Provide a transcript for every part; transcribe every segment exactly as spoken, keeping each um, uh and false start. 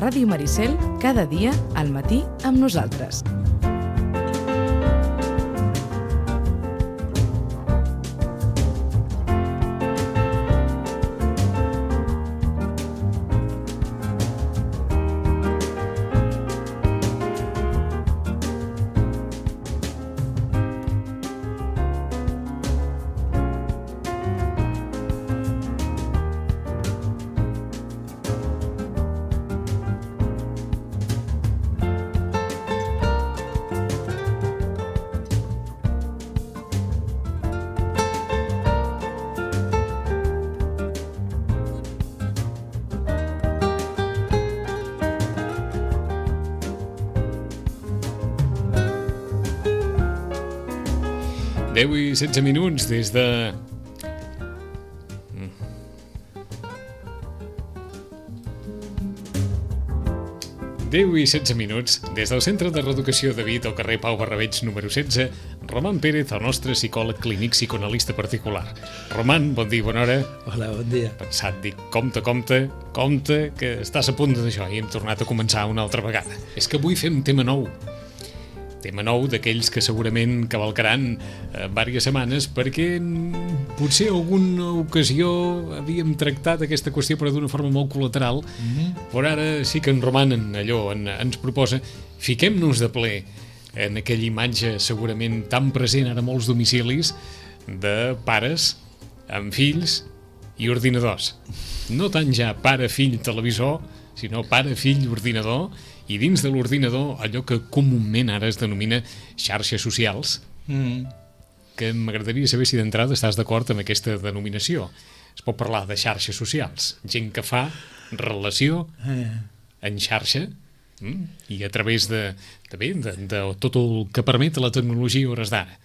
Ràdio Maricel, cada dia al matí amb nosaltres. deu i setze minuts des de... deu i setze minuts des del Centre de Reeducació de Vic al carrer Pau Barrabeig número setze, Roman Pérez, el nostre psicòleg clínic psicoanalista particular. Roman, bon dia, bona hora. Hola, bon dia. Pensat, dic, compte, compte, compte, que estàs a punt d'això i hem tornat a començar una altra vegada. És que avui fem tema nou. Tema nou d'aquells que segurament cavalcaran eh, diverses setmanes perquè potser alguna ocasió havíem tractat aquesta qüestió però d'una forma molt col·lateral, mm-hmm. però ara sí que en Roman en allò en, ens proposa, fiquem-nos de ple en aquella imatge segurament tan present ara a molts domicilis de pares amb fills i ordinadors. No tant ja pare-fill televisor, sinó pare-fill ordinador, i dins de l'ordinador allò que comúment ara es denomina xarxes socials, mm. que m'agradaria saber si d'entrada estàs d'acord amb aquesta denominació. Es pot parlar de xarxes socials, gent que fa relació en xarxa mm, i a través de, de, de, de tot el que permet la tecnologia a hores d'ara.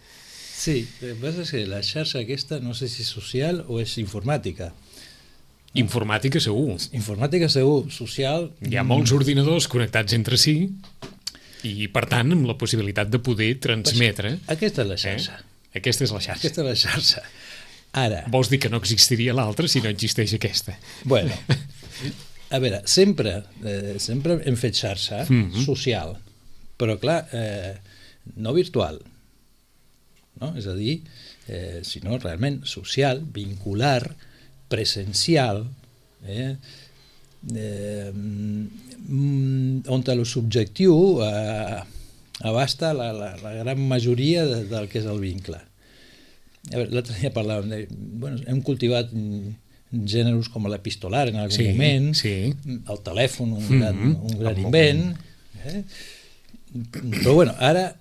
Sí, el que passa és que la xarxa aquesta no sé si és social o és informàtica. Informàtica segur. Informàtica segur, social... Hi ha molts ordinadors connectats entre si i, per tant, amb la possibilitat de poder transmetre... Aquesta és la xarxa. Eh? Aquesta és la xarxa. Aquesta és la xarxa. Ara... Vols dir que no existiria l'altra si no existeix aquesta? Bueno, a veure, sempre, eh, sempre hem fet xarxa mm-hmm. social, però clar, eh, no virtual, no? És a dir, eh, sinó realment social, vincular, presencial, eh, eh, on el subjectiu eh, abasta la, la, la gran majoria de, del que és el vincle. L'altre dia parlàvem de... Bueno, hem cultivat gèneres com l'epistolar en algun sí, moment, sí. El telèfon, un gran, mm-hmm. un gran invent, eh? Però bueno, ara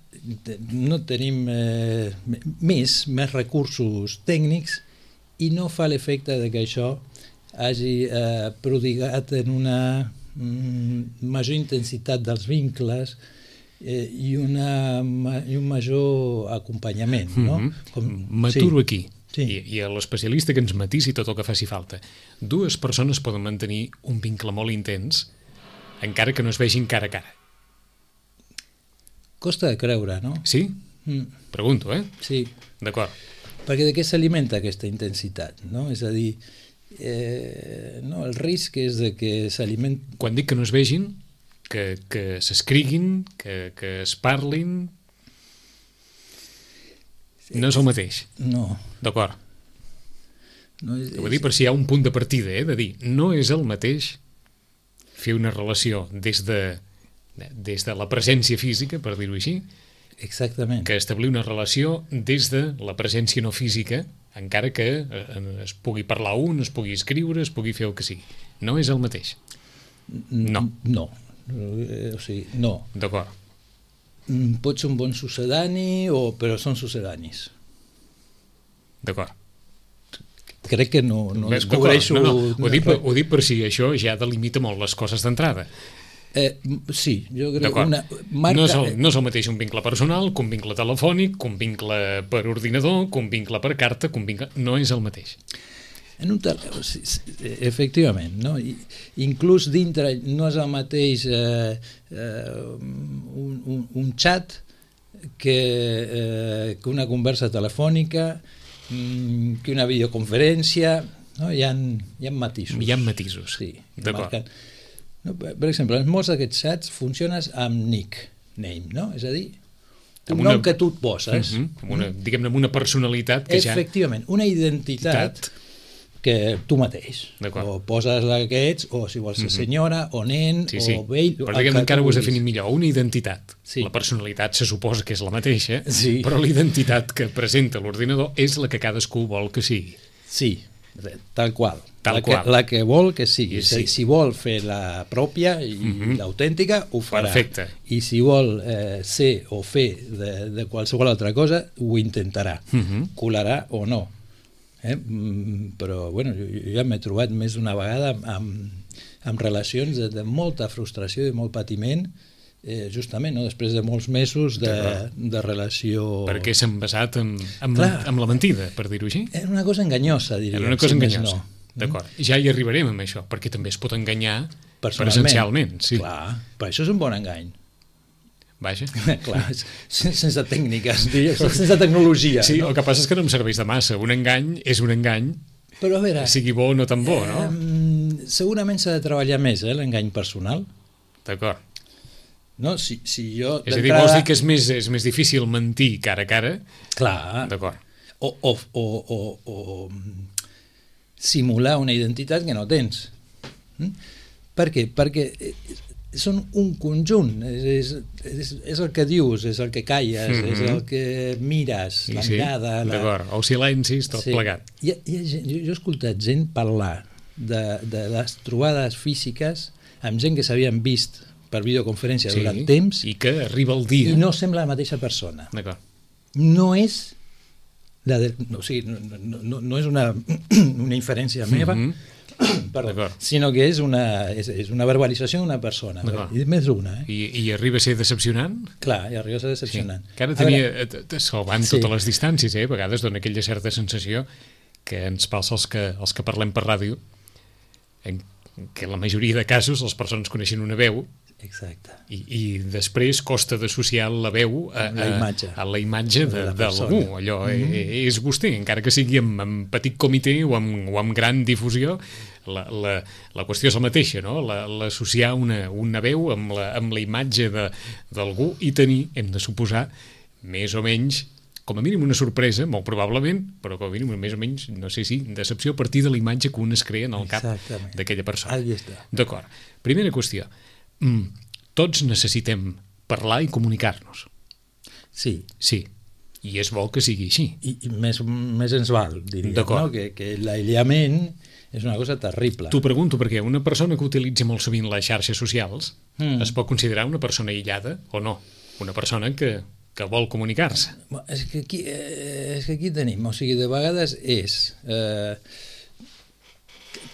no tenim eh, més, més recursos tècnics i no fa l'efecte de que això hagi eh, prodigat en una mm, major intensitat dels vincles eh, i, una, i un major acompanyament. No? Mm-hmm. Com, M'aturo sí. aquí. Sí. I, i a l'especialista que ens matisi tot el que faci falta. Dues persones poden mantenir un vincle molt intens encara que no es vegin cara a cara. Costa de creure, no? Sí? Mm. Pregunto, eh? Sí. D'acord. Perquè de què s'alimenta aquesta intensitat, no? És a dir, eh, no, el risc és de que s'alimenta... Quan dic que no es vegin, que, que s'escriguin, que, que es parlin... No és el mateix. No. D'acord. No és, Ho vull dir per si hi ha un punt de partida, eh? De dir, no és el mateix fer una relació des de, des de la presència física, per dir-ho així, exactament. Que establir una relació des de la presència no física, encara que es pugui parlar un, es pugui escriure, es pugui fer el que sigui. No és el mateix. No. No. O sigui, no. D'acord. Pot ser un bon sucedani, o... però són sucedanis. D'acord. Crec que no, no descobreixo... No, no. Ho, dic per, ho dic per si això ja delimita molt les coses d'entrada. Eh, sí, jo crec que una marca... No és, el, no és el mateix un vincle personal que un vincle telefònic, que un vincle per ordinador, que un vincle per carta, que un vincle... No és el mateix. En un tel... sí, sí, efectivament, no? I, inclús dintre no és el mateix eh, eh, un, un, un xat que, eh, que una conversa telefònica, que una videoconferència, no? Hi ha, hi ha matisos. Hi ha matisos, sí, d'acord. marquen. No? Per, per exemple, en molts d'aquests xats funciones amb nickname, no? És a dir, un una... nom que tu et poses. Uh -huh. amb una, diguem-ne, amb una personalitat que ja... Efectivament, una identitat que tu mateix. O poses la que ets, o si vols ser senyora, o nen, sí, sí. o vell... Però diguem, encara ho has definit millor. Una identitat. Sí. La personalitat se suposa que és la mateixa, sí. però la identitat que presenta l'ordinador és la que cadascú vol que sigui. Sí, tal qual. Tal la, qual. Que, la que vol que sigui. Sí. Si vol fer la pròpia i uh -huh. l'autèntica, ho farà. Perfecte. I si vol eh, ser o fer de, de qualsevol altra cosa, ho intentarà. Uh -huh. Colarà o no. Eh? Però bueno, jo, jo ja m'he trobat més d'una vegada amb, amb relacions de, de molta frustració i molt patiment, eh, justament, no? Després de molts mesos de, de relació... Perquè s'han basat en, en, en la mentida, per dir-ho així? Era una cosa enganyosa, diria. Era una cosa si enganyosa, no. D'acord. Ja hi arribarem amb això, perquè també es pot enganyar personalment. Presencialment. Sí. Clar, però això és un bon engany. Vaja. Clar, sense tècniques, sense tecnologia. Sí, no? El que passa és que no em serveix de massa. Un engany és un engany, però a veure, sigui bo o no tan bo, no? Eh, segurament s'ha de treballar més, eh, l'engany personal. D'acord. No, si, si jo... És a dir, vols dir que és més, és més difícil mentir cara a cara? Clar. D'acord. O, o, o, o, o simular una identitat que no tens. Mm? Per què? Perquè són un conjunt, és, és, és el que dius, és el que calles, mm -hmm. és el que mires, la sí, mirada... La... D'acord, o silencis, tot sí. plegat. Hi ha, hi ha gent, jo, jo he escoltat gent parlar de, de les trobades físiques amb gent que s'havien vist per videoconferència sí, durant temps i que arriba el dia i no sembla la mateixa persona. D'acord. No és la de, no, o sigui, no, no, no és una, una inferència meva, mm -hmm. Perdó, sinó que és una, és, és una verbalització d'una persona, i més una. Eh? I, I arriba a ser decepcionant? Clar, i arriba a ser decepcionant. Sí. Que ara tenia, veure, salvant sí. totes les distàncies, eh? A vegades dona aquella certa sensació que ens passa als que, als que parlem per ràdio, en que en la majoria de casos les persones coneixen una veu. Exacte. I, i després costa d'associar la veu a, a, la imatge, a la imatge de, de, de l'algú. Allò mm-hmm. és vostè, encara que sigui amb, amb petit comitè o amb, o amb gran difusió, la, la, la qüestió és la mateixa, no? L'associar una, una veu amb la, amb la imatge d'algú i tenir, hem de suposar, més o menys, com a mínim una sorpresa, molt probablement, però com a mínim més o menys, no sé si, decepció a partir de la imatge que un es crea en el cap d'aquella persona. Ahí està. D'acord. Primera qüestió. Mm, tots necessitem parlar i comunicar-nos. Sí. Sí. I és bo que sigui així. I, i més, més ens val, diria, no? Que, que l'aïllament és una cosa terrible. T'ho pregunto perquè una persona que utilitza molt sovint les xarxes socials mm. es pot considerar una persona aïllada o no? Una persona que, que vol comunicar-se. És que aquí, eh, és que aquí tenim, o sigui, de vegades és... Eh,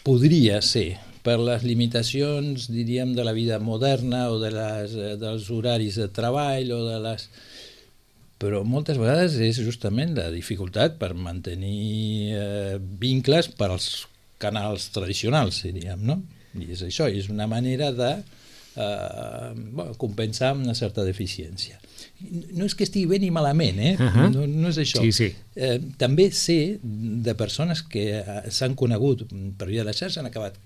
podria ser per les limitacions, diríem, de la vida moderna o de les, dels horaris de treball o de les... Però moltes vegades és justament la dificultat per mantenir eh, vincles per als canals tradicionals, diríem, no? I és això, és una manera de eh, bueno, compensar una certa deficiència. No és que estigui bé ni malament, eh? Uh-huh. no, no és això. Sí, sí. Eh, també sé de persones que s'han conegut per via de la xarxa, han acabat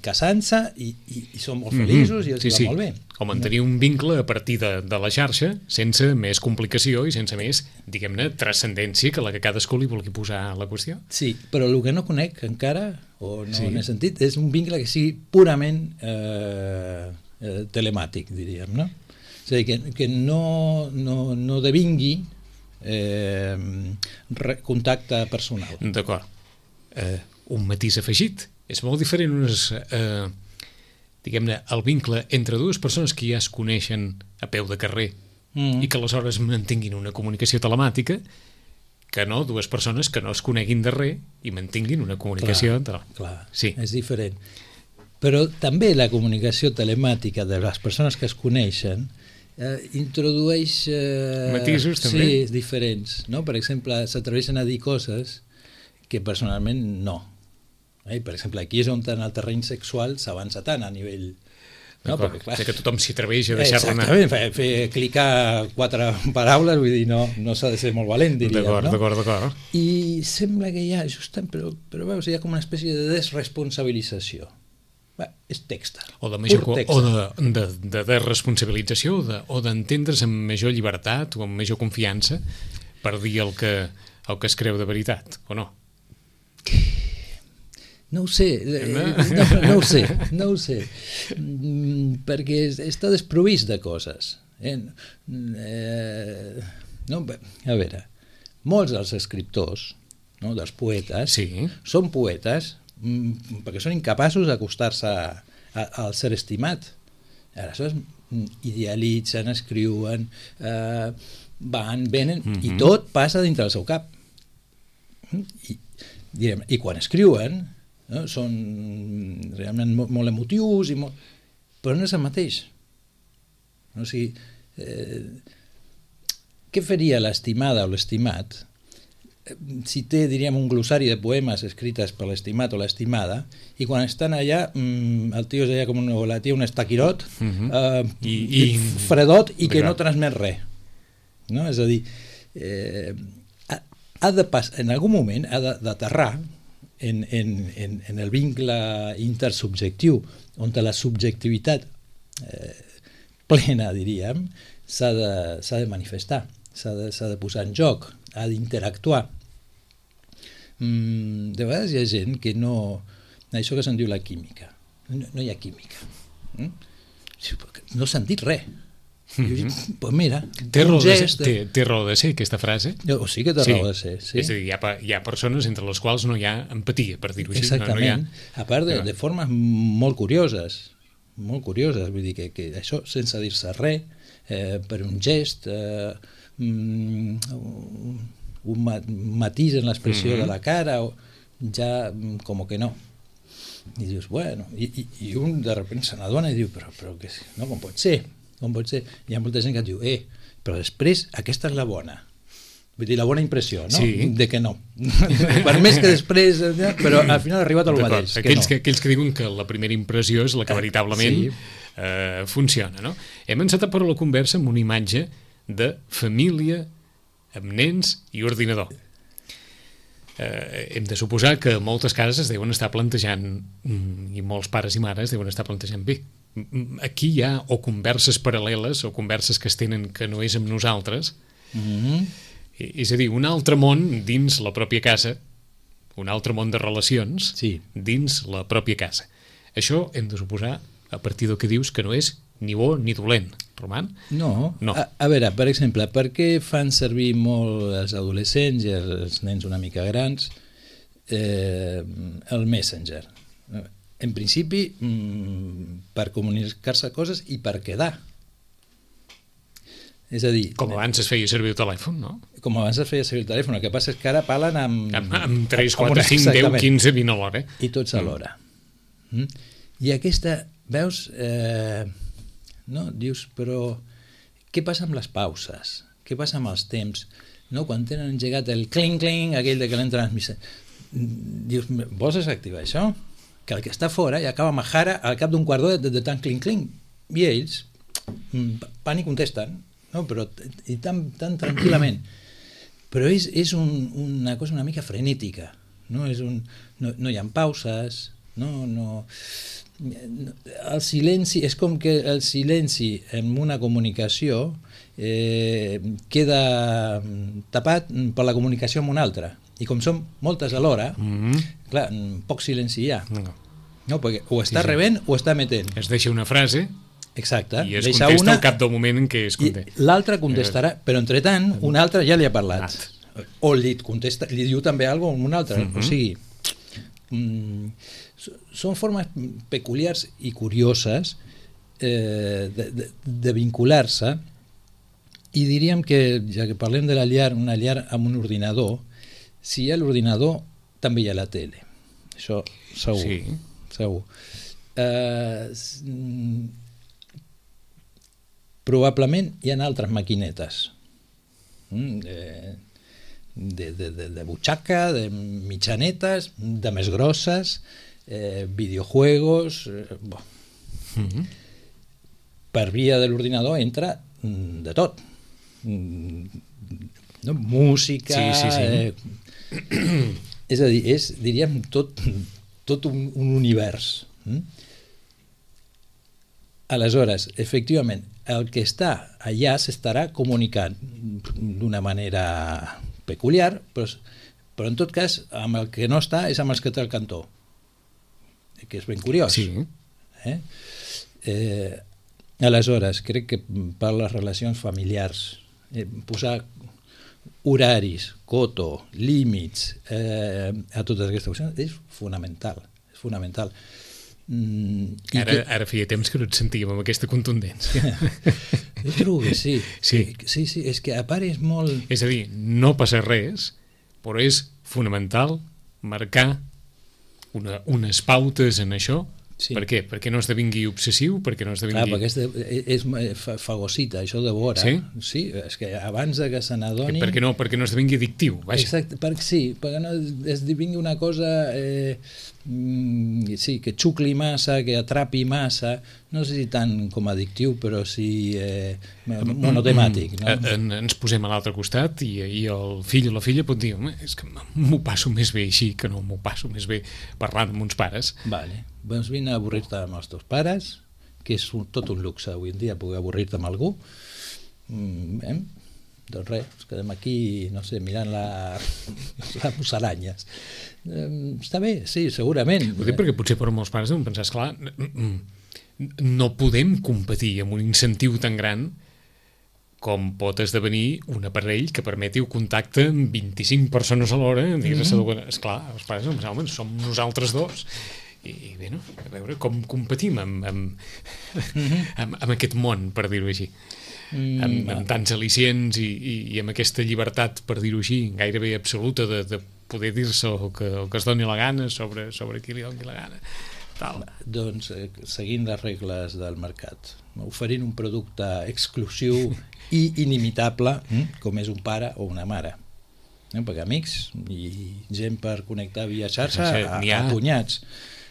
casant-se i, i, i són molt feliços mm-hmm. i els sí, va sí. molt bé. O mantenir un vincle a partir de, de la xarxa sense més complicació i sense més, diguem-ne, transcendència que la que cadascú li vulgui posar a la qüestió. Sí, però el que no conec encara, o no sí. n'he sentit, és un vincle que sigui purament eh, eh, telemàtic, diríem, no? És a dir, que, que no, no, no devingui eh, contacte personal. D'acord. Eh, un matís afegit. És molt diferent unes, eh, diguem-ne, el vincle entre dues persones que ja es coneixen a peu de carrer mm. i que aleshores mantinguin una comunicació telemàtica que no dues persones que no es coneguin de res i mantinguin una comunicació... Clar, clar sí. és diferent. Però també la comunicació telemàtica de les persones que es coneixen eh, introdueix eh, matisos també sí, diferents, no? Per exemple, s'atreveixen a dir coses que personalment no. Eh? Per exemple, aquí és on en el terreny sexual s'avança tant a nivell... No? Perquè, clar, que tothom s'hi atreveix a deixar-la anar. Exactament, fer, fer clicar quatre paraules, vull dir, no, no s'ha de ser molt valent, diríem, d'acord, no? D'acord, d'acord. I sembla que hi ha, justament, però, però veus, hi ha com una espècie de desresponsabilització. Bé, és text. O de major pur text. o de, de, de, de responsabilització o de, o d'entendre's amb major llibertat o amb major confiança per dir el que, el que es creu de veritat, o no? No ho sé, no, no ho sé, no ho sé, perquè està desprovist de coses. Eh? Eh, no, a veure, molts dels escriptors, no, dels poetes, sí. són poetes perquè són incapaços d'acostar-se al ser estimat. Aleshores, idealitzen, escriuen, eh, van, venen, mm-hmm. i tot passa dintre del seu cap. I, direm, i quan escriuen, no, són realment molt, molt emotius, i molt... però no és el mateix. O sigui, eh, què faria l'estimada o l'estimat si té, diríem, un glossari de poemes escrites per l'estimat o l'estimada, i quan estan allà, el tio és allà com un, o la tia un estaquirot, uh-huh. eh, I, i, fredot, i que no transmet res. No? És a dir, eh, ha, ha de pas, en algun moment ha d'aterrar en, en, en, en el vincle intersubjectiu, on la subjectivitat eh, plena, diríem, s'ha de, s'ha de manifestar, s'ha de, s'ha de posar en joc, ha d'interactuar. Mm, de vegades hi ha gent que no... Això que se'n diu la química. No, no hi ha química. Mm? No s'han dit res. Mm-hmm. Jo, pues mira, té raó, de ser, té, té raó de ser aquesta frase? O sí que té sí. raó de ser, sí. És a dir, hi ha, hi ha persones entre les quals no hi ha empatia, per dir-ho així. Exactament. No, no ha... A part de, de formes molt curioses, molt curioses, vull dir que, que això sense dir-se res, eh, per un gest, eh, mm, un matís en l'expressió mm-hmm. de la cara, o ja com que no. I dius, bueno, i, i, i un de repente se n'adona i diu, però, però que, no, com pot ser? Com pot ser? Hi ha molta gent que et diu, eh, però després aquesta és la bona. Vull dir, la bona impressió, no? Sí. De que no. Per més que després... Però al final ha arribat al mateix. Aquells que, no. que, aquells que diuen que la primera impressió és la que veritablement sí. eh, funciona, no? Hem encetat per la conversa amb una imatge de família amb nens i ordinador. Eh, hem de suposar que moltes cases es deuen estar plantejant, i molts pares i mares deuen estar plantejant bé. Aquí hi ha o converses paral·leles o converses que es tenen que no és amb nosaltres, mm-hmm. és a dir, un altre món dins la pròpia casa, un altre món de relacions sí. dins la pròpia casa. Això hem de suposar, a partir del que dius, que no és ni bo ni dolent, Roman? No. no. A, a veure, per exemple, per què fan servir molt els adolescents i els nens una mica grans eh, el Messenger? En principi, per comunicar-se coses i per quedar. És a dir... Com abans es feia servir el telèfon, no? Com abans es feia servir el telèfon. El que passa és que ara parlen amb... Amb, amb tres, quatre, cinc, deu, quinze, vint a l'hora. I tots a l'hora. Mm. I aquesta... Veus... Eh, no? Dius, però... Què passa amb les pauses? Què passa amb els temps? No? Quan tenen engegat el cling-cling, aquell de que l'hem transmissat. Dius, vols desactivar això? Que el que està fora ja acaba majara al cap d'un quart d'hora de, de tant cling-cling. I ells van i contesten, no? Però i tan, tan tranquil·lament. Però és, és un, una cosa una mica frenètica. No, és un, no, no hi ha pauses, no, no, el silenci, és com que el silenci en una comunicació eh, queda tapat per la comunicació amb una altra. I com són moltes alhora, mm-hmm. clar, poc silenci hi ha. No. No, perquè o està sí, sí. rebent o està emetent. Es deixa una frase exacte. I es deixa contesta una, al cap del moment en què es contesta. L'altre contestarà, però entretant un altre ja li ha parlat. O li, contesta, li diu també alguna cosa a un altre. Mm-hmm. O sigui, mm, són formes peculiars i curioses eh, de, de, de vincular-se, i diríem que, ja que parlem de la llar, una llar amb un ordinador, si hi ha l'ordinador, també hi ha la tele. Això segur. Sí. segur. Eh, probablement hi ha altres maquinetes de, de, de, de, de butxaca, de mitjanetes, de més grosses, eh, videojuegos... Eh, bo. Mm-hmm. Per via de l'ordinador entra de tot. No? Música... Sí, sí, sí. Eh, és a dir, és, diríem, tot, tot un, un univers. Aleshores, efectivament, el que està allà s'estarà comunicant d'una manera peculiar, però, però en tot cas, amb el que no està és amb els que té el cantó, que és ben curiós. Sí. Eh? Eh, aleshores, crec que per les relacions familiars, eh, posar horaris, coto, límits eh, a totes aquestes qüestions és fonamental, és fonamental. Mm, ara, que... ara feia temps que no et sentíem amb aquesta contundència. Jo trobo que sí. Sí. sí, sí, és que a part és molt... És a dir, no passa res, però és fonamental marcar una, unes pautes en això. Sí. Per què? Perquè no esdevingui obsessiu? Perquè no esdevingui... Clar, perquè és, de, és, és fagocita, això de vora. Sí? Sí, és que abans de que se n'adoni... Perquè no, perquè no esdevingui addictiu, vaja. Exacte, perquè sí, perquè no esdevingui una cosa eh, sí, que xucli massa, que atrapi massa, no sé si tant com addictiu, però sí eh, monotemàtic. No? En, ens posem a l'altre costat i, i el fill o la filla pot dir, és que m'ho passo més bé així que no m'ho passo més bé parlant amb uns pares. Vale. Doncs vine a avorrir-te amb els teus pares, que és un, tot un luxe avui en dia poder avorrir-te amb algú. Mm, eh? Doncs res, ens quedem aquí, no sé, mirant la, les musaranyes. Eh, està bé, sí, segurament. Ho dic perquè potser per molts pares deuen pensar, esclar, no podem competir amb un incentiu tan gran com pot esdevenir un aparell que permeti un contacte amb vint-i-cinc persones alhora. Mm-hmm. Esclar, els pares no pensaven, som nosaltres dos. I bé, no? A veure com competim amb, amb, mm-hmm. amb, amb aquest món, per dir-ho així. Mm, amb, amb tants al·licients i, i, i amb aquesta llibertat, per dir-ho així, gairebé absoluta de, de poder dir-se el que, el que es doni la gana sobre, sobre qui li doni la gana. Tal. Doncs eh, seguint les regles del mercat, oferint un producte exclusiu i inimitable, com és un pare o una mare. No? Perquè amics i gent per connectar via xarxa, a, a punyats.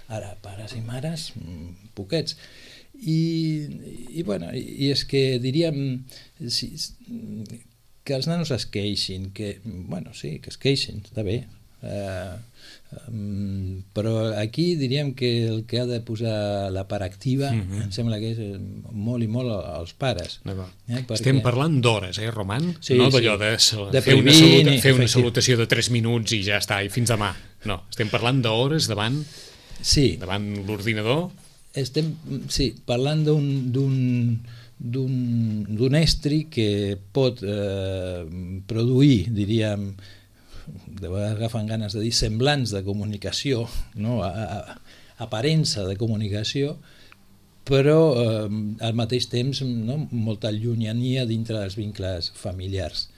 Ara, pares i mares, poquets. I, i, bueno, i és que diríem si, que els nanos es queixin, que, bueno, sí, que es queixin, està bé, eh, um, però aquí diríem que el que ha de posar la part activa, mm-hmm. em sembla que és molt i molt als pares. Eh, perquè... Estem parlant d'hores, eh, Roman? Sí, no d'allò sí. de, de fer, una, prohibir, saluta, fer una salutació de tres minuts i ja està, i fins demà. No, estem parlant d'hores davant, sí. davant l'ordinador. Estem, sí, parlant d'un d'un d'un estri que pot eh, produir, diríem, de vegades agafen ganes de dir semblants de comunicació, no? a, a, aparença de comunicació, però eh, al mateix temps, no? molta llunyania dintre dels vincles familiars.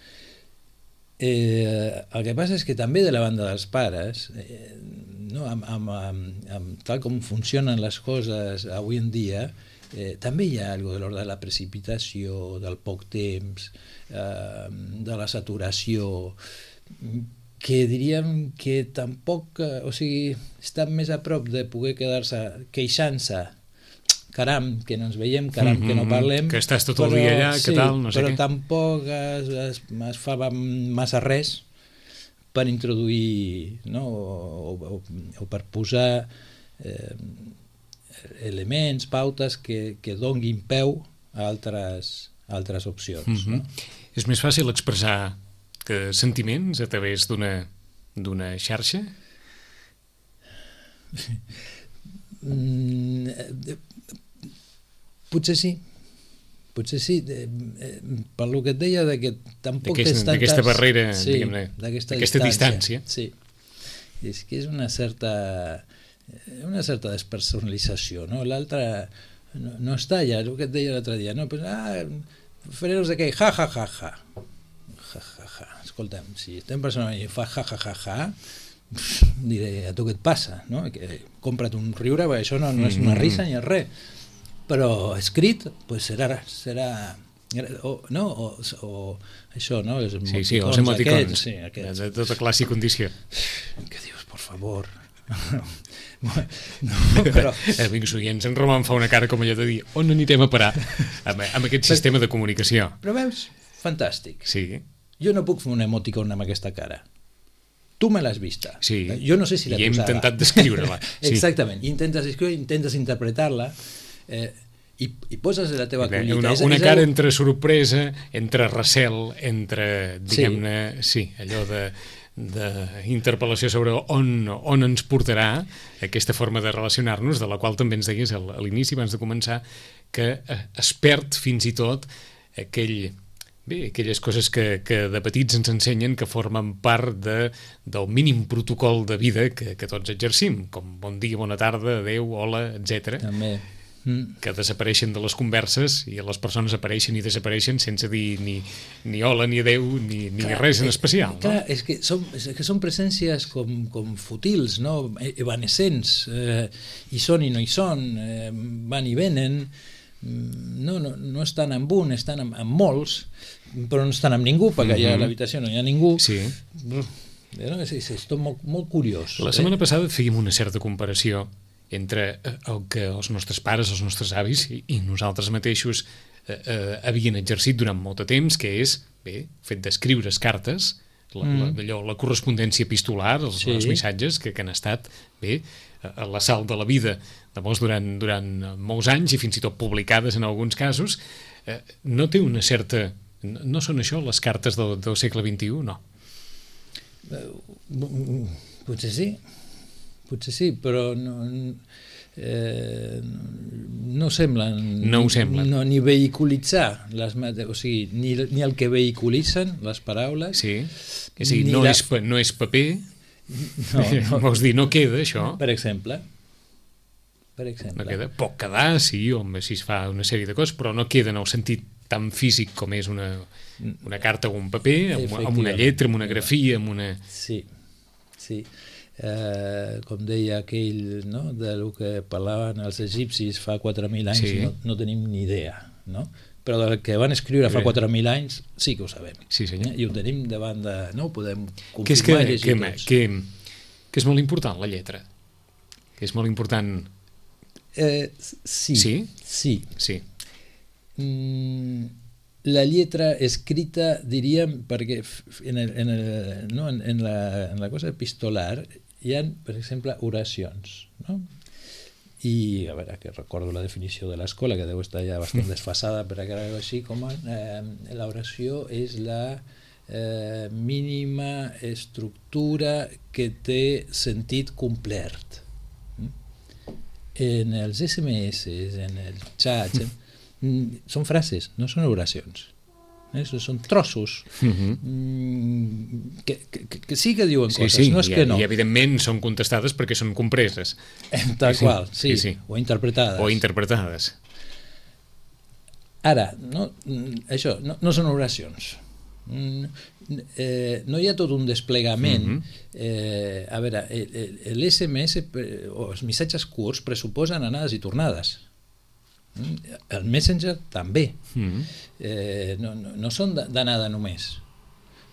Eh, el que passa és que també de la banda dels pares, eh, no? amb, amb, amb, amb tal com funcionen les coses avui en dia, eh, també hi ha algo de l'ordre de la precipitació, del poc temps, eh, de la saturació, que diríem que tampoc, eh, o sigui, estan més a prop de poder quedar-se queixant-se, caram, que no ens veiem, caram, mm-hmm, que no parlem, que estàs tot el dia allà, sí, que tal, no sé però què. Tampoc es, es, es fa massa res per introduir, no? o, o, o per posar eh, elements, pautes que, que donguin peu a altres, a altres opcions. Mm-hmm. No? És més fàcil expressar que sentiments a través d'una d'una xarxa? Mm, potser sí. Potser sí, eh, eh, per lo que et deia de que tampoc D'aquest, tens tantes... d'aquesta barrera, sí, diguem-ne, d'aquesta, d'aquesta distància. distància. Sí, és que és una certa una certa despersonalització, no? L'altre no, no està allà, el que et deia l'altre dia, no? Pues, ah, faré no sé què, ja, ja, ja, ja. Ja, ja, ja. Escolta'm, si estem personalment i fa ja, ja, ja, ja, diré, a tu què et passa, no? Que compra't un riure, perquè això no, no és una risa ni és res. Però escrit, pues serà, serà o, no? o, o això, no? Els sí, sí, els emoticons, aquests, sí, aquests. De tota classe i condició. Què dius, por favor? No, però... Amics oients, en Roman fa una cara com allò de dir on anirem a parar amb, amb aquest sistema de comunicació. Però veus, fantàstic. Sí. Jo no puc fer un emoticon amb aquesta cara. Tu me l'has vista. Sí. Jo no sé si la I hem posada. intentat descriure-la. Sí. Exactament. Intentes escriure, intentes interpretar-la. Eh, i, i poses la teva collita. Una, és, una és cara el... entre sorpresa, entre recel, entre, diguem-ne, sí, sí allò de d'interpel·lació sobre on, on ens portarà aquesta forma de relacionar-nos, de la qual també ens deies a l'inici, abans de començar, que es perd fins i tot aquell... Bé, aquelles coses que, que de petits ens ensenyen que formen part de, del mínim protocol de vida que, que tots exercim, com bon dia, bona tarda, adeu, hola, etcètera. També. Mm. Que desapareixen de les converses i les persones apareixen i desapareixen sense dir ni, ni hola, ni adeu, ni, ni clar, res en especial. Clar, no? és que són, és que són presències com, com futils, no? Evanescents, eh, hi són i no hi són, eh, van i venen, no, no, no estan amb un, estan amb, amb molts, però no estan amb ningú, perquè mm-hmm. allà a l'habitació no hi ha ningú. Sí. És, és, és tot molt, molt curiós. La setmana eh? passada fèiem una certa comparació entre el que els nostres pares, els nostres avis i, i nosaltres mateixos eh, eh, havien exercit durant molt de temps, que és, bé, fet d'escriure's cartes, la, mm. la, allò, la correspondència epistolar, els, sí. els missatges que, que han estat, bé, a la sal de la vida de molts durant, durant molts anys i fins i tot publicades en alguns casos, eh, no té una certa... No, no són això les cartes del, del segle vint-i-u, no? Uh, potser sí, potser sí, però no, eh, no semblen, no ho semblen. No, ni vehiculitzar les, o sigui, ni, ni el que vehiculitzen les paraules, sí. Que sí, no, la... és, no és paper, no, no. Vols dir, no queda això, per exemple, per exemple. No queda, pot quedar, sí, home, si es fa una sèrie de coses, però no queda en el sentit tan físic com és una, una carta o un paper, amb, amb una lletra, amb una grafia, amb una... Sí, sí. Eh, com deia aquell, no?, de lo que parlaven els egipcis fa quatre mil anys, sí. no, no tenim ni idea, no? Però del que van escriure fa quatre mil anys sí que ho sabem. Sí, senyor. Eh? I ho tenim davant de... No ho podem confirmar que és que, i llegir que, tots. Que, que és molt important, la lletra. Que és molt important... Eh, sí. Sí? Sí. Sí. La lletra escrita, diríem, perquè en, el, en, el, no, en, en, la, en la cosa epistolar hi ha, per exemple, oracions, no? I, a veure, que recordo la definició de l'escola, que deu estar ja bastant desfasada, per a així, com eh, l'oració és la eh, mínima estructura que té sentit complert. En els esse eme esse, en els xats, són frases, no són oracions. Eh? Són trossos mm-hmm. que, que, que sí que diuen sí, coses, sí, no és i, que no. I evidentment són contestades perquè són compreses. Tal sí, qual, sí, sí, sí. O interpretades. O interpretades. Ara, no, això, no, no són oracions. Eh, no hi ha tot un desplegament. Mm-hmm. eh, a veure, l'esse eme esse o els missatges curts pressuposen anades i tornades. El Messenger també. Mm-hmm. eh, no, no, no són d'anada només,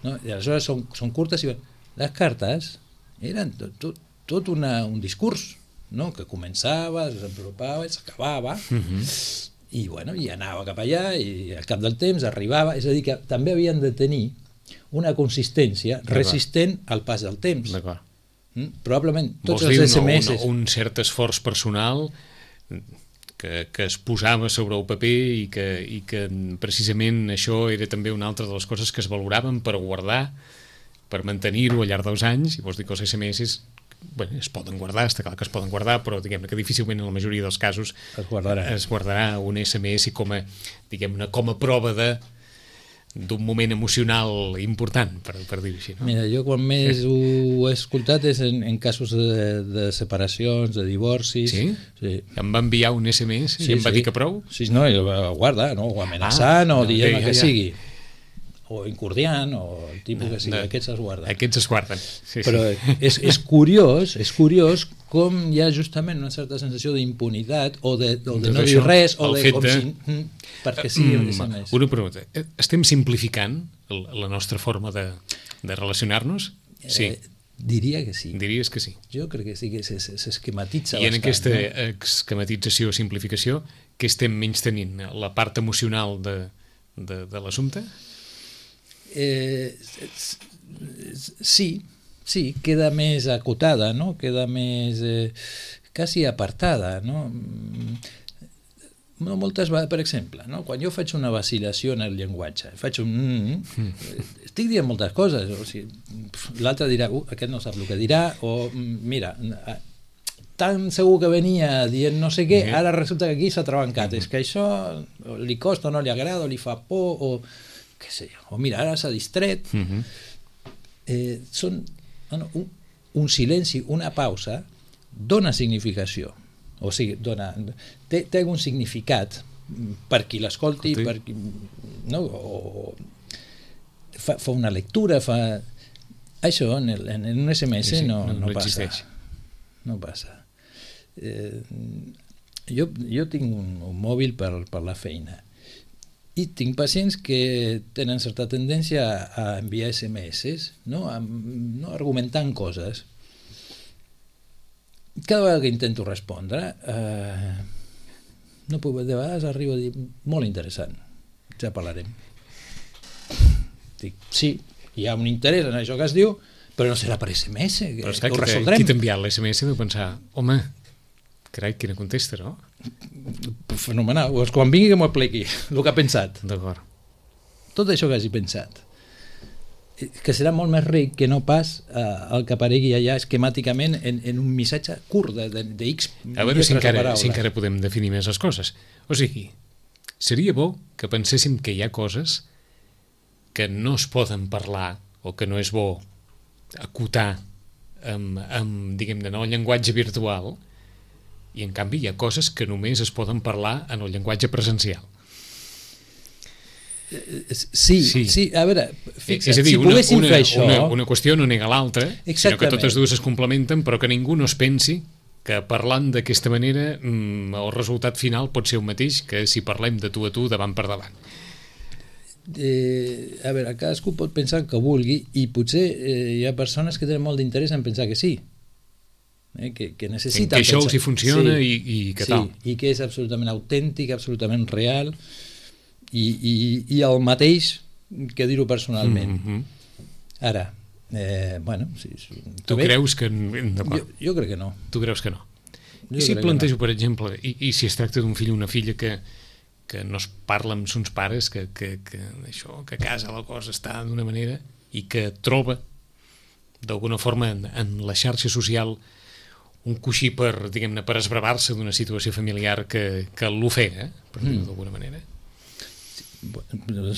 no? I aleshores són, són curtes i les cartes eren tot, tot, tot una, un discurs, no? Que començava, s'apropava i s'acabava. Mm-hmm. I, bueno, i anava cap allà i al cap del temps arribava, és a dir que també havien de tenir una consistència resistent al pas del temps. D'acord. Mm? Probablement tots Vols els dir esse eme esse un, un cert esforç personal que, que es posava sobre el paper i que, i que precisament això era també una altra de les coses que es valoraven per guardar, per mantenir-ho al llarg dels anys. I vols dir que els esse eme esse bueno, es poden guardar, està clar que es poden guardar, però diguem-ne que difícilment en la majoria dels casos es guardarà, es guardarà un esse eme esse com a, diguem-ne, com a prova de d'un moment emocional important, per, per dir-ho així, no? Mira, jo quan més ho he escoltat és en, en casos de, de separacions, de divorcis. Sí? Sí. Em va enviar un esse eme esse sí, i em va sí. dir que prou? Sí, no, i el va guardar, no? O amenaçant, ah, o dient ja, ja, que ja. sigui. O incordiant, o el tipus no, que sigui. No. Aquests es guarden. Aquests es guarden. Sí, Però sí. és, és curiós, és curiós com hi ha justament una certa sensació d'impunitat o de, o de no dir res, o de com de... si... perquè sí, mm, és més. Una pregunta. Estem simplificant la nostra forma de, de relacionar-nos? Sí. Eh, diria que sí. Diries que sí. Jo crec que sí, que s'esquematitza bastant. I en aquesta no? esquematització o simplificació, què estem menys tenint? La part emocional de, de, de l'assumpte? Eh, sí, sí, queda més acotada, no? Queda més eh, quasi apartada, no? no, moltes vegades, per exemple, no? Quan jo faig una vacilació en el llenguatge, faig un... Mm, mm, estic dient moltes coses, o sigui, l'altre dirà, uh, aquest no sap el que dirà, o mira, tan segur que venia dient no sé què, ara resulta que aquí s'ha trabancat, és que això li costa o no li agrada, o li fa por, o què sé jo, o mira, ara s'ha distret. Eh, són, bueno, un, un silenci, una pausa, dona significació, o sigui, dona, té, té un significat per qui l'escolti, per qui, no? O fa, fa una lectura, fa... Això en, el, en un S M S sí, sí, no, no, no, no passa. No passa. Eh, jo, jo tinc un, un mòbil per, per la feina i tinc pacients que tenen certa tendència a, a enviar S M S, no? A, no argumentant coses. Cada vegada que intento respondre, eh, no puc, de vegades arribo a dir molt interessant, ja parlarem. Dic, sí, hi ha un interès en això que es diu, però no serà per S M S, que, però que ho resoldrem. Qui t'ha enviat l'S M S deu pensar, home, carai, quina contesta, no? Fenomenal, doncs quan vingui que m'ho apliqui, el que ha pensat. D'acord. Tot això que hagi pensat, que serà molt més ric que no pas eh, el que aparegui allà esquemàticament en, en un missatge curt de, de, de X a veure si encara, si encara podem definir més les coses. O sigui, seria bo que penséssim que hi ha coses que no es poden parlar o que no és bo acotar amb, amb diguem-ne, en el llenguatge virtual, i en canvi hi ha coses que només es poden parlar en el llenguatge presencial. Sí, sí, sí, a veure, fixa't, és a dir, si una, poguéssim una, fer això... Una, una qüestió no nega l'altra, sinó que totes dues es complementen, però que ningú no es pensi que parlant d'aquesta manera mmm, el resultat final pot ser el mateix que si parlem de tu a tu davant per davant. Eh, a veure, cadascú pot pensar que vulgui i potser eh, hi ha persones que tenen molt d'interès en pensar que sí, eh, que, que necessiten que això pensar. els hi funciona sí, i, i que sí, tal. I que és absolutament autèntic, absolutament real i, i, i el mateix que dir-ho personalment. Mm-hmm. Ara, eh, bueno... Si, si, tu bé, creus que... Jo, jo crec que no. Tu creus que no? Jo I si plantejo, no. per exemple, i, i si es tracta d'un fill o una filla que, que no es parla amb sons pares, que, que, que, això, que a casa la cosa està d'una manera i que troba d'alguna forma en, en la xarxa social un coixí per, diguem-ne, per esbravar-se d'una situació familiar que, que l'ofega, per dir-ho mm. d'alguna manera.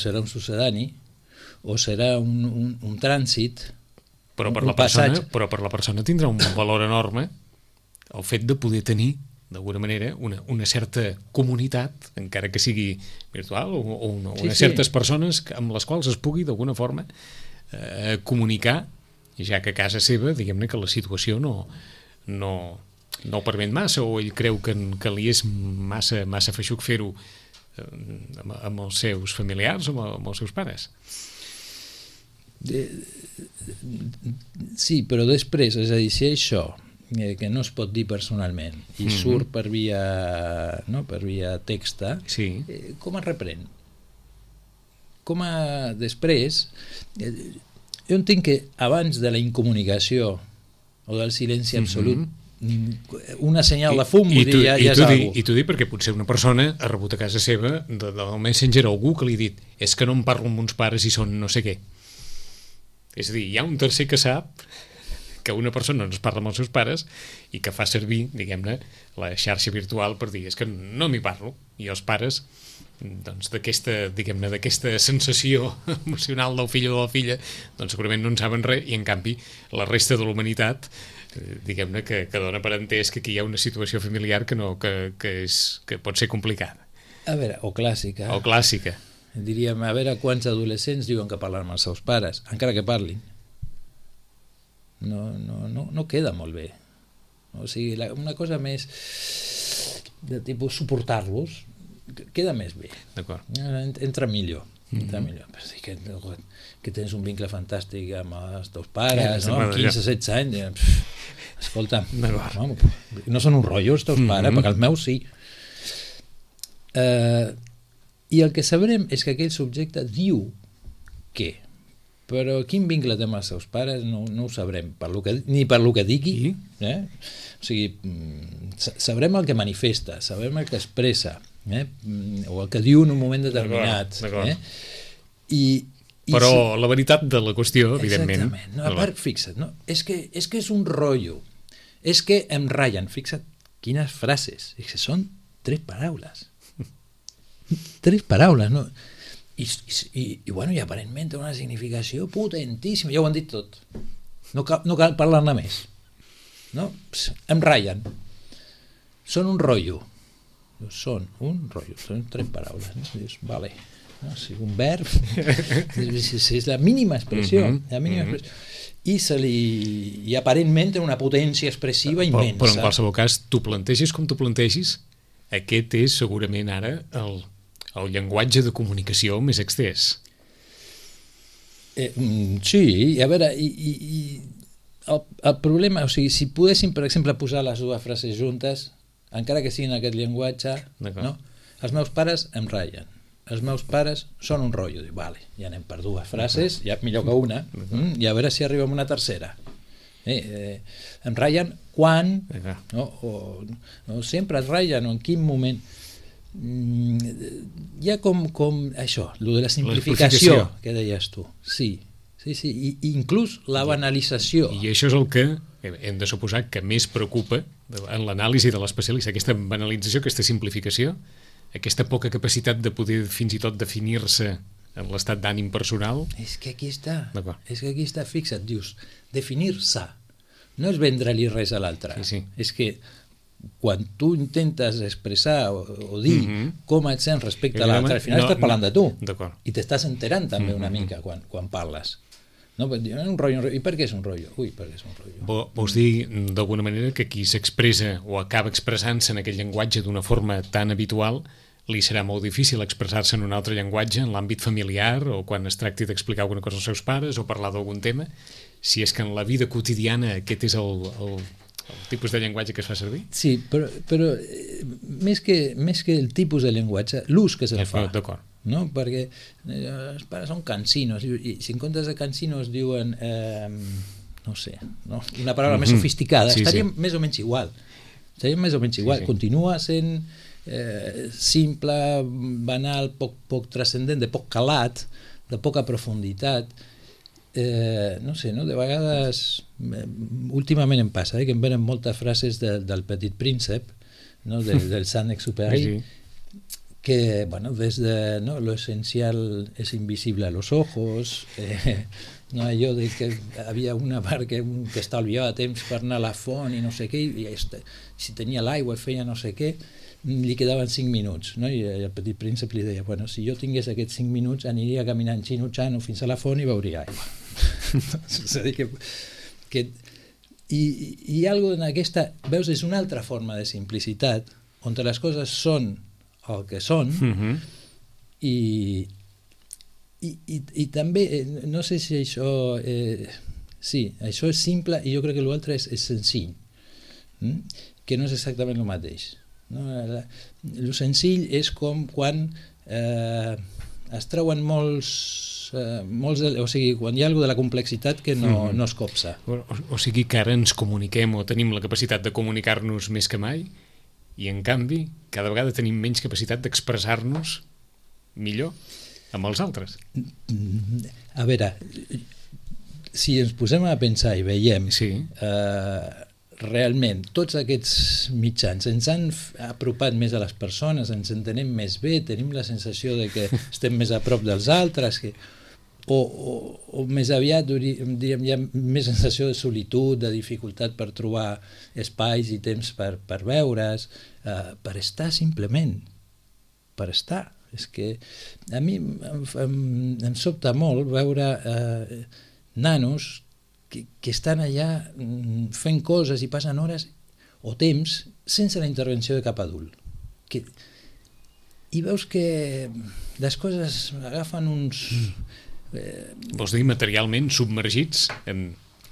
Serà un sucedani o serà un, un, un trànsit, però per, un la persona, passatge. però per la persona tindrà un valor enorme el fet de poder tenir d'alguna manera una, una certa comunitat, encara que sigui virtual, o, o una, sí, unes sí. certes persones amb les quals es pugui d'alguna forma eh, comunicar, ja que a casa seva, diguem-ne que la situació no, no, no ho permet massa, o ell creu que, que li és massa, massa feixuc fer-ho amb, amb els seus familiars o amb, amb els seus pares. De, sí, però després, és a dir, si això eh, que no es pot dir personalment i mm-hmm. surt per via, no, per via texta, sí. eh, com es reprèn? Com a després... Eh, jo entenc que abans de la incomunicació o del silenci absolut mm-hmm. una senyal de fum I, i, tu, ja, i, ja tu és di, algú. I tu di perquè potser una persona ha rebut a casa seva de, del Messenger algú que li ha dit és que no em parlo amb uns pares i són no sé què. És a dir, hi ha un tercer que sap que una persona no es parla amb els seus pares i que fa servir, diguem-ne, la xarxa virtual per dir és que no m'hi parlo. I els pares, doncs, d'aquesta, diguem-ne, d'aquesta sensació emocional del fill o de la filla, doncs segurament no en saben res i en canvi la resta de la humanitat diguem-ne que, que dona per entès que aquí hi ha una situació familiar que, no, que, que, és, que pot ser complicada. A veure, o clàssica. O clàssica. Diríem, a veure quants adolescents diuen que parlen amb els seus pares, encara que parlin. No, no, no, no queda molt bé. O sigui, la, una cosa més de tipus suportar-los queda més bé. D'acord. Entra millor. Entra mm-hmm. millor. Però sí que, que tens un vincle fantàstic amb els teus pares, no? Amb quinze setze anys. Pff, escolta, no, no són un rotllo els teus mm-hmm. pares, perquè els meus sí. Uh, I el que sabrem és que aquell subjecte diu què, però quin vincle té amb els seus pares no, no ho sabrem, per lo que, ni per lo que digui. Eh? O sigui, sabrem el que manifesta, sabrem el que expressa, eh? o el que diu en un moment determinat. D'acord, d'acord. Eh? I, i Però si... la veritat de la qüestió, evidentment... Exactament. No, a part, fixa't, no? és, que, és que és un rotllo. És que em ratllen. Fixa't quines frases. És que són tres paraules. Tres paraules, no? I, i, i, bueno, i aparentment té una significació potentíssima. Ja ho han dit tot. No cal, no cal parlar-ne més. No? Pss, em ratllen. Són un rotllo. Són un rotllo. Són tres paraules. No? Dius, vale. No? Si un verb és, és la mínima expressió. Mm-hmm. La mínima mm-hmm. expressió. I, se li, i aparentment té una potència expressiva immensa. Però, però en qualsevol cas, tu plantegis com tu plantegis, aquest és segurament ara el, el llenguatge de comunicació més extès. Eh, sí, a veure, i, i, i el, el problema, o sigui, si poguéssim, per exemple, posar les dues frases juntes, encara que siguin aquest llenguatge, no? Els meus pares em ratllen. Els meus pares són un rotllo. Dic, vale, ja anem per dues frases, ja millor que una, mm, i a veure si arribem a una tercera. Eh, eh, em ratllen quan, no? O, no, sempre es ratllen, o en quin moment. Mm, hi ha com, com això, lo de la simplificació, la que deies tu. Sí, sí, sí, i, i inclús la banalització. I això és el que hem de suposar que més preocupa en l'anàlisi de l'especialista, aquesta banalització, aquesta simplificació, aquesta poca capacitat de poder fins i tot definir-se en l'estat d'ànim personal. És que aquí està, és que aquí està, fixa't, dius, definir-se, no és vendre-li res a l'altre, sí, sí. És que quan tu intentes expressar o, o dir mm-hmm. com et sents respecte a l'altre, al final no, estàs parlant no, de tu, i t'estàs enterant també mm-hmm. una mica quan, quan parles. No, un rotllo, un rotllo. I per què és un rotllo? Ui, per què és un rotllo? Vols dir, d'alguna manera, que qui s'expressa o acaba expressant-se en aquell llenguatge d'una forma tan habitual li serà molt difícil expressar-se en un altre llenguatge en l'àmbit familiar o quan es tracti d'explicar alguna cosa als seus pares o parlar d'algun tema, si és que en la vida quotidiana aquest és el, el, el tipus de llenguatge que es fa servir? Sí, però, però més, que, més que el tipus de llenguatge, l'ús que se'l fa. D'acord. No? Perquè eh, els pares són cansinos i, i si en comptes de cansinos diuen eh, no sé, no? Una paraula mm-hmm. més sofisticada, sí, estaríem sí. més o menys igual estaríem més o menys igual, sí, sí. Continua sent eh, simple, banal, poc, poc transcendent, de poc calat, de poca profunditat, eh, no sé, no? De vegades eh, últimament em passa eh, que em venen moltes frases de, del Petit Príncep, no? de, del Saint-Exupéry, sí, sí. Que, bueno, desde ¿no? lo esencial es invisible a los ojos, eh, no, allò de que havia una part que, que estalviava temps per anar a la font i no sé què, i este, si tenia l'aigua i feia no sé què, li quedaven cinc minuts, no? I el Petit Príncep li deia, bueno, si jo tingués aquests cinc minuts aniria caminant xinutxano fins a la font i veuria aigua. És a dir, que, que i, i algo en aquesta, veus, és una altra forma de simplicitat, on les coses són el que són, uh-huh. i, i, i, i també, no sé si això, eh, sí, això és simple i jo crec que l'altre és, és senzill, hm? Que no és exactament el mateix. No? El senzill és com quan eh, es treuen molts, eh, molts, o sigui, quan hi ha alguna de la complexitat que no, uh-huh. no es copsa. O, o sigui que ara ens comuniquem o tenim la capacitat de comunicar-nos més que mai, i en canvi cada vegada tenim menys capacitat d'expressar-nos millor amb els altres. A veure, si ens posem a pensar i veiem sí. eh, realment tots aquests mitjans ens han apropat més a les persones, ens entenem més bé, tenim la sensació de que estem més a prop dels altres, que O, o, o més aviat diríem, hi ha més sensació de solitud, de dificultat per trobar espais i temps per, per veure's, eh, per estar simplement, per estar. És que a mi em, em, em sobta molt veure eh, nanos que, que estan allà fent coses i passen hores o temps sense la intervenció de cap adult. Que, i veus que les coses agafen uns... Eh, vols dir materialment submergits en,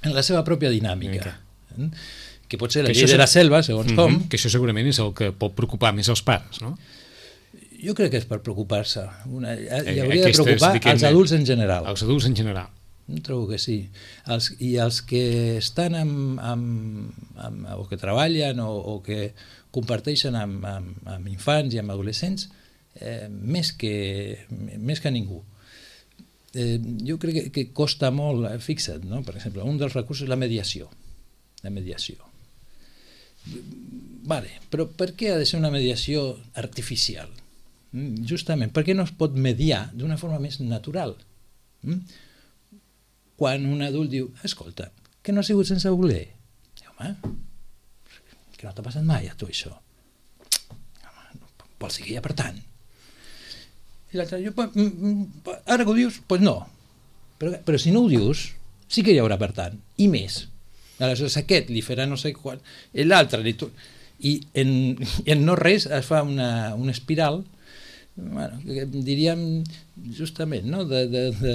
en la seva pròpia dinàmica, eh? Que pot ser la llei de la selva, segons mm-hmm, com, que això segurament és el que pot preocupar més els pares, no? Jo crec que és per preocupar-se. Una, hi hauria Aquestes, de preocupar als adults en general. Els adults en general. Trobo que sí. Els, I els que estan amb, amb, amb, o que treballen o, o que comparteixen amb, amb, amb infants i amb adolescents eh, més, que, més que ningú. Eh, jo crec que, que costa molt, fixa't, no? Per exemple, un dels recursos és la mediació. La mediació. Vale, però per què ha de ser una mediació artificial? Justament, per què no es pot mediar d'una forma més natural? Quan un adult diu, escolta, que no ha sigut sense voler. Home, que no t'ha passat mai a tu això. Home, vols dir que hi ha per tant. I l'altre diu, ara que ho dius, doncs no. Però, però si no ho dius, sí que hi haurà per tant, i més. Aleshores aquest li farà no sé quan, l'altre li... I en, en no res es fa una, una espiral, bueno, diríem justament, no? de, de, de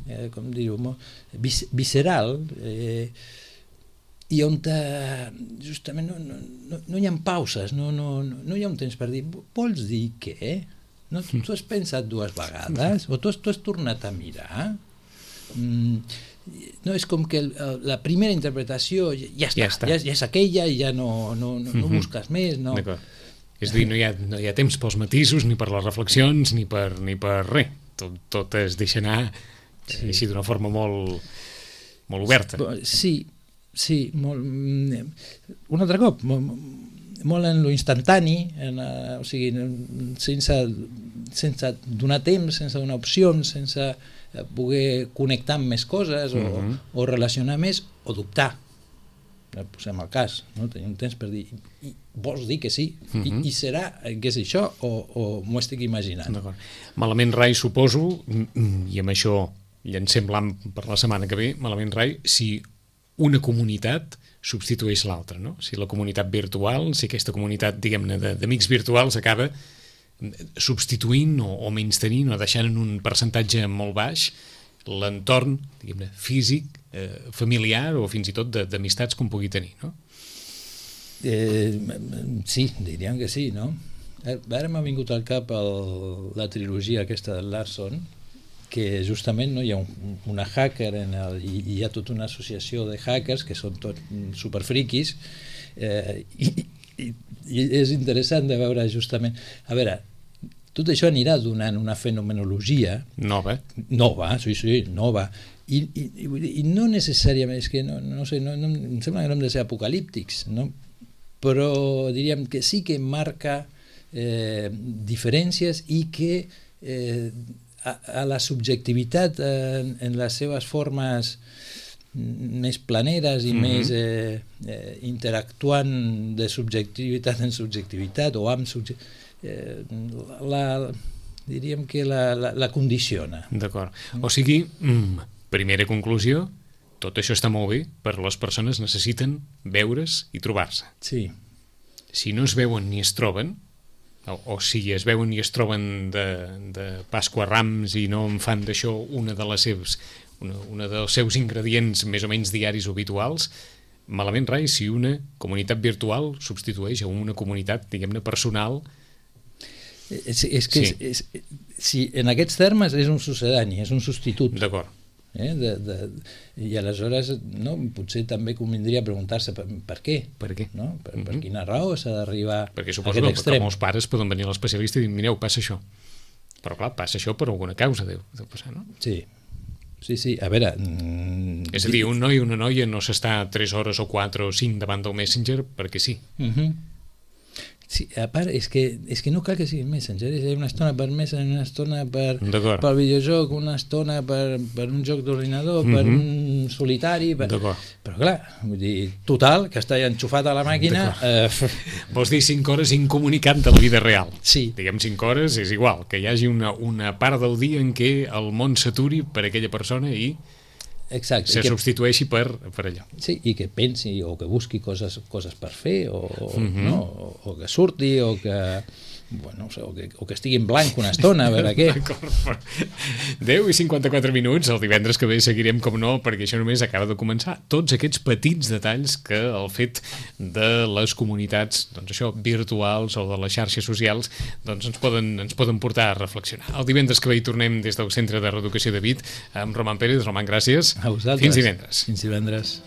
eh, com dir-ho, vis, visceral, eh, i on te, justament no, no, no, no hi ha pauses, no, no, no hi ha un temps per dir, vols dir què? No, tu, tu has pensat dues vegades? O tu has, tu has tornat a mirar? Mm, no, és com que el, la primera interpretació ja està, ja, està. ja, ja és aquella i ja no, no, no, no busques més, no. És a dir, no hi, ha, no hi ha temps pels matisos, ni per les reflexions, ni per, ni per res. Tot, tot es deixa anar sí. així d'una forma molt, molt oberta. Sí, sí, molt, un altre cop, molt, molt en lo instantani, en, o sigui, sense, sense donar temps, sense donar opcions, sense poder connectar amb més coses o, uh-huh. o relacionar més o dubtar. Posem el cas, no? Tenim temps per dir i, vols dir que sí? Uh-huh. I, I serà que és això o, o m'ho estic imaginant? Malament rai, suposo, i amb això llancem l'am per la setmana que ve, malament rai, si una comunitat substitueix l'altra, no? Si la comunitat virtual, si aquesta comunitat, diguem-ne, d'amics virtuals acaba substituint o, o menys-tenint o deixant en un percentatge molt baix l'entorn, diguem-ne, físic, eh, familiar o fins i tot d'amistats com pugui tenir, no? Eh, sí, diríem que sí, no? Ara m'ha vingut al cap el, la trilogia aquesta de Larson, que justament no, hi ha un, una hacker en el, i hi ha tota una associació de hackers que són tots superfriquis eh, i, i, i és interessant de veure justament, a veure, tot això anirà donant una fenomenologia nova, nova, sí, sí, nova, i, i, i no necessàriament, és que no, no sé, no, no, em sembla que no hem de ser apocalíptics, no? Però diríem que sí que marca eh, diferències i que eh, a, a la subjectivitat en, en les seves formes més planeres i mm-hmm. més eh, eh, interactuant de subjectivitat en subjectivitat o amb subjectivitat, eh, la, diríem que la, la, la condiciona. D'acord. O sigui, mm, primera conclusió, tot això està molt bé, però les persones necessiten veure's i trobar-se. Sí. Si no es veuen ni es troben, o, o si es veuen i es troben de, de Pasqua a Rams i no en fan d'això una de les seves una, una dels seus ingredients més o menys diaris o habituals, malament rai si una comunitat virtual substitueix a una comunitat, diguem-ne, personal. És, és que sí. és, és, si en aquests termes és un succedani, és un substitut. D'acord. Eh, de, de, I aleshores no, potser també convindria preguntar-se per, per què, per, què? No? Per, per quina raó s'ha d'arribar a Perquè suposo aquest que, extrem. que molts pares poden venir a l'especialista i dir, mireu, passa això. Però clar, passa això per alguna causa, deu, deu passar, no? Sí. Sí, sí, a veure... Mm, és a dir, un noi o una noia no s'està tres hores o quatre o cinc davant del Messenger perquè sí. Uh-huh. Sí, a part, és que, és que no cal que sigui Messenger, és una estona per Messenger, una estona per, per videojoc, una estona per, per un joc d'ordinador, uh-huh. per un solitari... Per... Però clar, vull dir, total, que està enxufat a la màquina... Eh... Vols dir cinc hores incomunicant de la vida real. Sí. Diguem cinc hores, és igual, que hi hagi una, una part del dia en què el món s'aturi per aquella persona i... Exacte, se que, substitueixi per, per allò. Sí, i que pensi o que busqui coses, coses per fer o, uh-huh. no, o, o que surti o que, bueno, o, que, o que estigui en blanc una estona a veure què. deu i cinquanta-quatre minuts, el divendres que ve seguirem com no, perquè això només acaba de començar. Tots aquests petits detalls que el fet de les comunitats, doncs això, virtuals o de les xarxes socials, doncs ens poden, ens poden portar a reflexionar. El divendres que ve hi tornem des del Centre de Reeducació de Vic amb Roman Pérez. Roman, gràcies. A vosaltres. Fins divendres. Fins divendres.